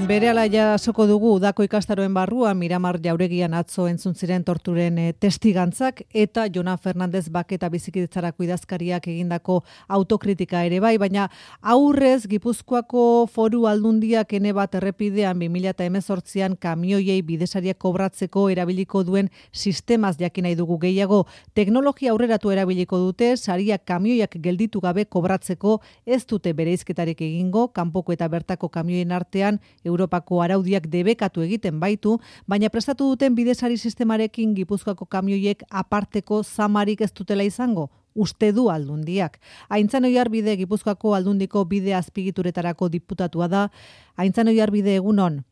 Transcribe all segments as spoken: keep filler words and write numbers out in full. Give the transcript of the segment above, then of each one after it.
Berehala jasoko dugu udako ikastaroen barruan Miramar Jauregian atzo entzun ziren torturen e, testigantzak eta Jona Fernandez Bake eta Bizikidetzarako idazkariak egindako autokritika ere bai, baina aurrez Gipuzkoako Foru Aldundiak ene bat errepidean bi mila hemezortzian kamioiei bidesariak kobratzeko erabiliko duen sistemaz jakin nahi dugu gehiago. Teknologia aurreratu erabiliko dute, sariak kamioiak gelditu gabe kobratzeko ez dute bereizketarik egingo, kanpoko eta bertako kamioien artean Europako araudiak debekatu egiten baitu, baina prestatu duten bidesari sistemarekin Gipuzkoako kamioiek aparteko zamarik ez dutela izango, uste du Aldundiak. Aintzan Oiarbide Gipuzkoako Aldundiko bide azpigituretarako diputatua da. Aintzan Oiarbide, egunon.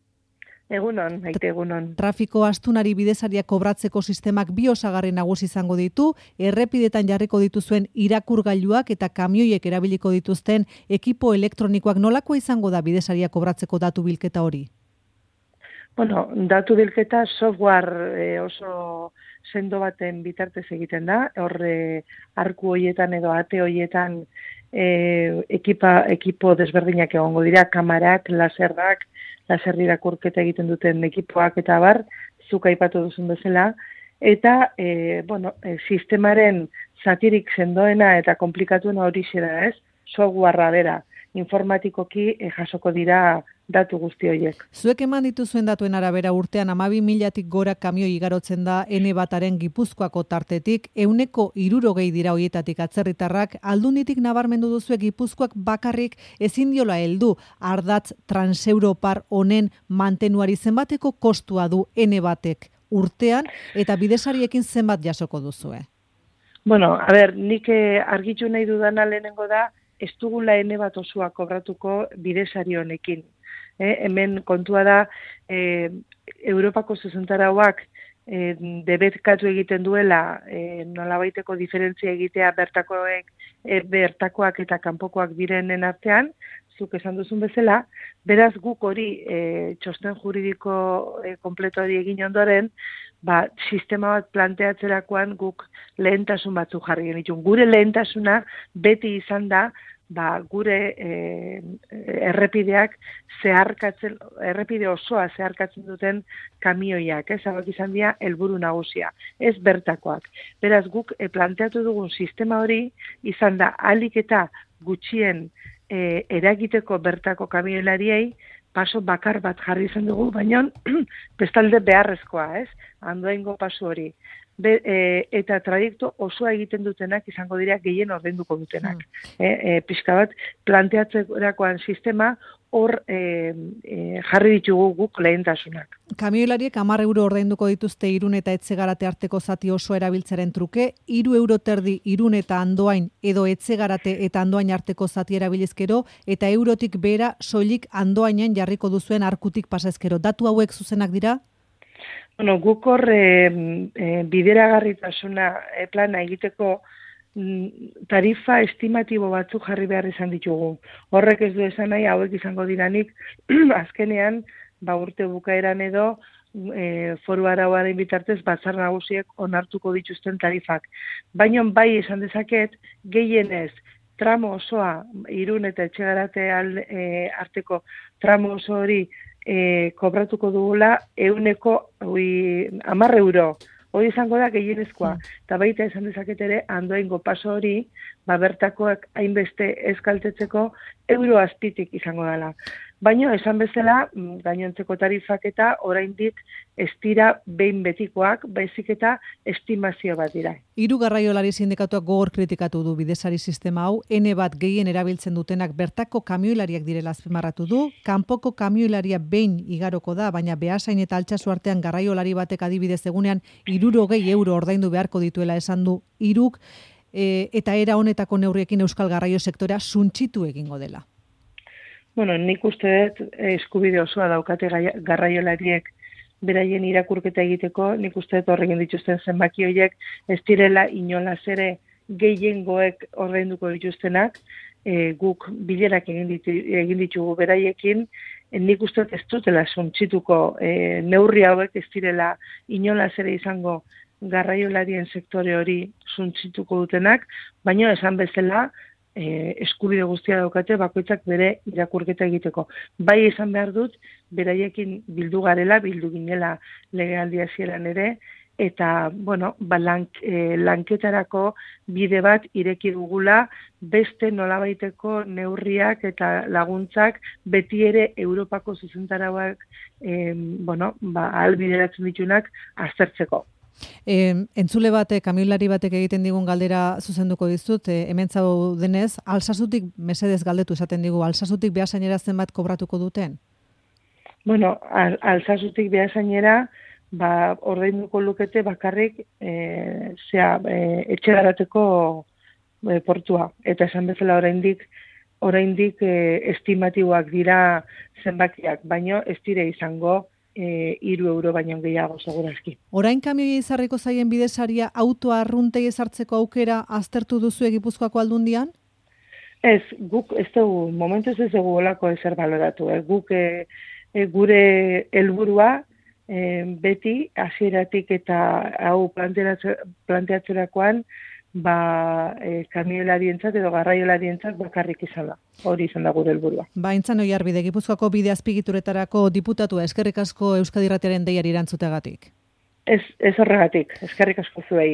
Egunon, maite egunon. Trafiko astunari bidesariak kobratzeko sistemak bi osagarri nagusi izango ditu, errepidetan jarriko dituzuen irakurgailuak eta kamioiek erabiliko dituzten ekipo elektronikoak. Nolako izango da bidesariak kobratzeko datu bilketa hori? Bueno, datu bilketa software eh, oso sendo baten bitartez egiten da, horre arku hoietan edo ate hoietan eh, ekipa, ekipo desberdinak egongo dira, kamarak, laserrak, laser irakurketa egiten duten ekipoak eta bar, zuk aipatu duzun bezala, eta e, bueno, e, sistemaren zatirik sendoena eta komplikatuena hori da, ez? Softwarea bera, informatikoki e, jasoko dira datu guzti horiek. Zuek eman dituzuen datuen arabera urtean hamabi milatik gora kamioi igarotzen da ene bataren Gipuzkoako tartetik, ehuneko hirurogei dira hoietatik atzerritarrak. Aldunditik nabarmendu duzue Gipuzkoak bakarrik ezin diola heldu ardatz transeuropar honen mantenuari zenbateko kostua du ene batek urtean eta bidesariekin zenbat jasoko duzue? Bueno, a ber, nik argitu nahi dudana lehenengo da, ez dugula ene bat osoa kobratuko bidesari honekin. Eh, hemen kontua da eh, Europako zuzentarauak eh, debetkatu egiten duela eh, nolabaiteko diferentzia egitea bertakoek, eh, bertakoak eta kanpokoak direnen artean, zuk esan duzun bezala, beraz guk hori eh, txosten juridiko eh, kompleto hori egin ondoren, ba, sistema bat planteatzerakoan guk lehentasun batzuk jarri genitun. Gure lehentasuna beti izan da, ba, gure e, errepideak zeharkatzen, errepide osoa zeharkatzen duten kamioiak, ez, hauek izan dira helburu nagusia, ez bertakoak. Beraz, guk e, planteatu dugun sistema hori izan da ahalik eta gutxien e, eragiteko bertako kamioilariei paso bakar bat jarri izan dugu, baina bestalde beharrezkoa, ez, Andoaingo paso hori. Be, e, eta trajektu osoa egiten dutenak izango dira gehien ordainduko dutenak. Mm. E, e, pixka bat planteatzerakoan sistema hor e, e, jarri ditugu guk lehentasunak. Kamioilariek hamar euro ordainduko dituzte Irun eta Etxegarate arteko zati oso erabiltzaren truke, hiru euro terdi Irun eta Andoain edo Etxegarate eta Andoain arteko zati erabilizkero eta eurotik behera soilik Andoainen jarriko duzuen arkutik pasezkero. Datu hauek zuzenak dira? Bueno, guk hor e, e, bideragarritasuna e, plana egiteko tarifa estimatibo batzuk jarri behar izan ditugu. Horrek ez du esan nahi, hauek izango diranik, azkenean, ba urte bukaeran edo, e, foru arauaren bitartez, batzar nagusiek onartuko dituzten tarifak. Baina bai esan dezaket, gehienez, tramo osoa, Irun eta Etxegarate e, arteko tramo oso hori, E, kobratuko dugula euneko hamar euro. Hori izango da gehienezkoa. Eta baita esan dezaket ere, Andoaingo paso hori, ba, bertakoak hainbeste eskaltetzeko euro azpitik izango dela. Baina esan bezala, gainontzeko tarifak eta oraindik ez dira behin betikoak, baizik eta estimazio bat dira. Hiru garraiolari sindikatuak gogor kritikatu du bidesari sistema hau, ene bat gehien erabiltzen dutenak bertako kamioilariak direla azpimarratu du, kanpoko kamioilaria behin igaroko da, baina Beasain eta Altsasu artean garraiolari batek adibidez egunean hirurogei euro ordaindu beharko dituela esan du hiruk, e, eta era honetako neurriekin euskal garraio sektorea suntsitu egingo dela. Bueno, nik uste dut eskubide osoa daukate garraiolariek beraien irakurketa egiteko, nik uste dut horrekin dituzten zenbaki horiek ez direla inolaz ere gehiengoek ordainduko dituztenak, e, guk bilerak egin, ditu, egin ditugu beraiekin, e, nik uste dut ez dutela suntsituko e, neurri hauek ez direla inolaz ere izango garraiolarien sektore hori suntsituko dutenak, baina esan bezala, e, eskubide guztia daukate bakoitzak bere irakurketa egiteko. Bai esan behar dut, beraiekin bildu garela, bildu ginela legealdi hasieran ere, eta, bueno, ba, lank, e, lanketarako bide bat ireki dugula, beste nolabaiteko neurriak eta laguntzak beti ere Europako zuzentarauak e, bueno, ba, ahalbideratzen ditunak aztertzeko. E, entzule batek, kamioilari batek egiten digun galdera zuzenduko dizut, e, hemen zaudenez, Alsasutik mesedez galdetu esaten digu, Alsasutik behasainera zenbat kobratuko duten? Bueno, al, Alsasutik behasainera, ba, ordainduko lukete bakarrik e, zea, e, etxe garateko e, portua. Eta esan bezala oraindik oraindik e, estimatiboak dira zenbakiak, baino ez dire izango e, hiru euro baino gehiago segurazki. Orain kamioi izarriko zaien bidesaria autoa arruntei ezartzeko aukera aztertu duzu Gipuzkoako Aldundian? Ez, guk ez dugu, momentuz ez dugu olako ezer baloratu. Eh? Guk e, e, gure helburua E, beti hasieratik eta hau planteatzerakoan ba, e, kamioilarientzat edo garraiolarientzat bakarrik izan da. Hori izan da gure helburua. Ba, Aintzane Oiarbide, Gipuzkoako bide azpigituretarako diputatua, eskerrik asko Euskadi Irratiaren deiari erantzuteagatik. Ez, ez horregatik, eskerrik asko zuei.